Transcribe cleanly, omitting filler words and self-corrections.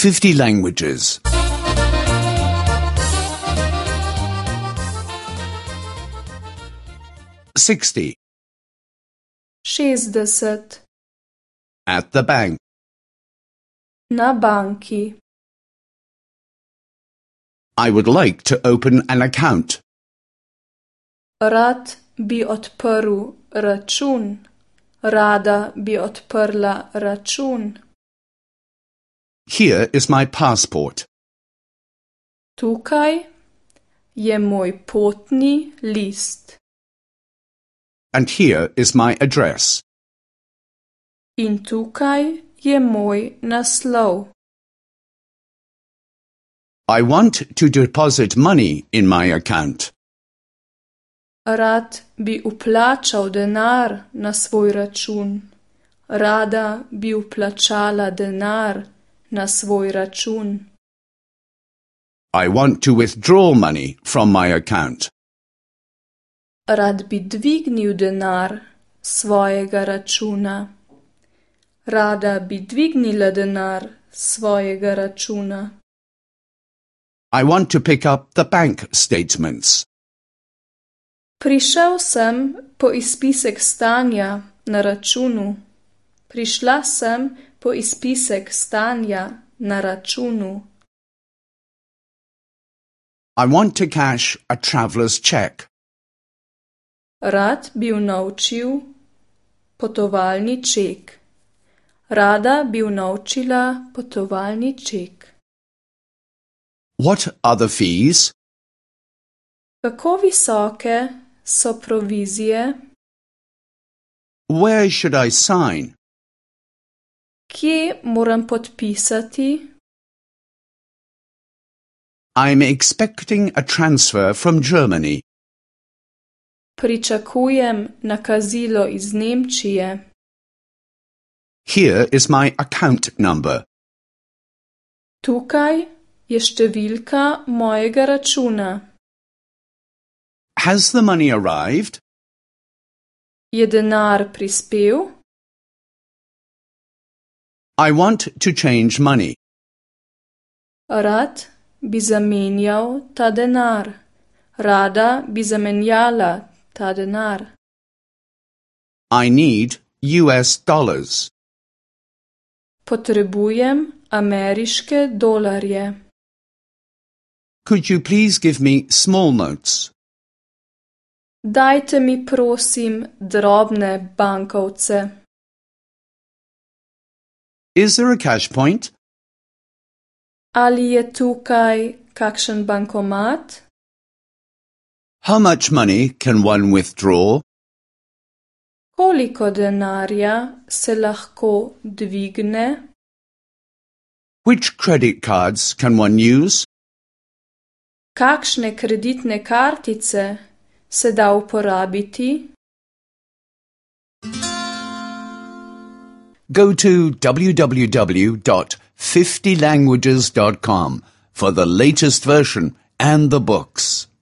50 languages. 60. 60. At the bank. Na banki. I would like to open an account. Rad bi odprl račun. Rada bi odprla račun. Here is my passport. Tukaj je moj potni list. And here is my address. In tukaj je moj naslov. I want to deposit money in my account. Rad bi vplačal denar na svoj račun. Rada bi vplačala denar na svoj račun. I want to withdraw money from my account. Rad bi dvignil denar svojega računa. Rada bi dvignila denar svojega računa. I want to pick up the bank statements. Prišel sem po izpisek stanja na računu. Prišla sem po izpisek stanja na računu. I want to cash a traveller's check. Rad bi unovčil potovalni ček. Rada bi unovčila potovalni ček. What are the fees? Kako visoke so provizije? Where should I sign? Kje moram podpisati? I'm expecting a transfer from Germany. Pričakujem nakazilo iz Nemčije. Here is my account number. Tukaj je številka mojega računa. Has the money arrived? Je denar prispel? I want to change money. Rad bi zamenjal ta denar. Rada bi zamenjala ta denar. I need US dollars. Potrebujem ameriške dolarje. Could you please give me small notes? Dajte mi prosim drobne bankovce. Is there a cash point? Ali je tukaj kakšen bankomat? How much money can one withdraw? Koliko denarja se lahko dvigne? Which credit cards can one use? Kakšne kreditne kartice se da uporabiti? Go to www.50languages.com for the latest version and the books.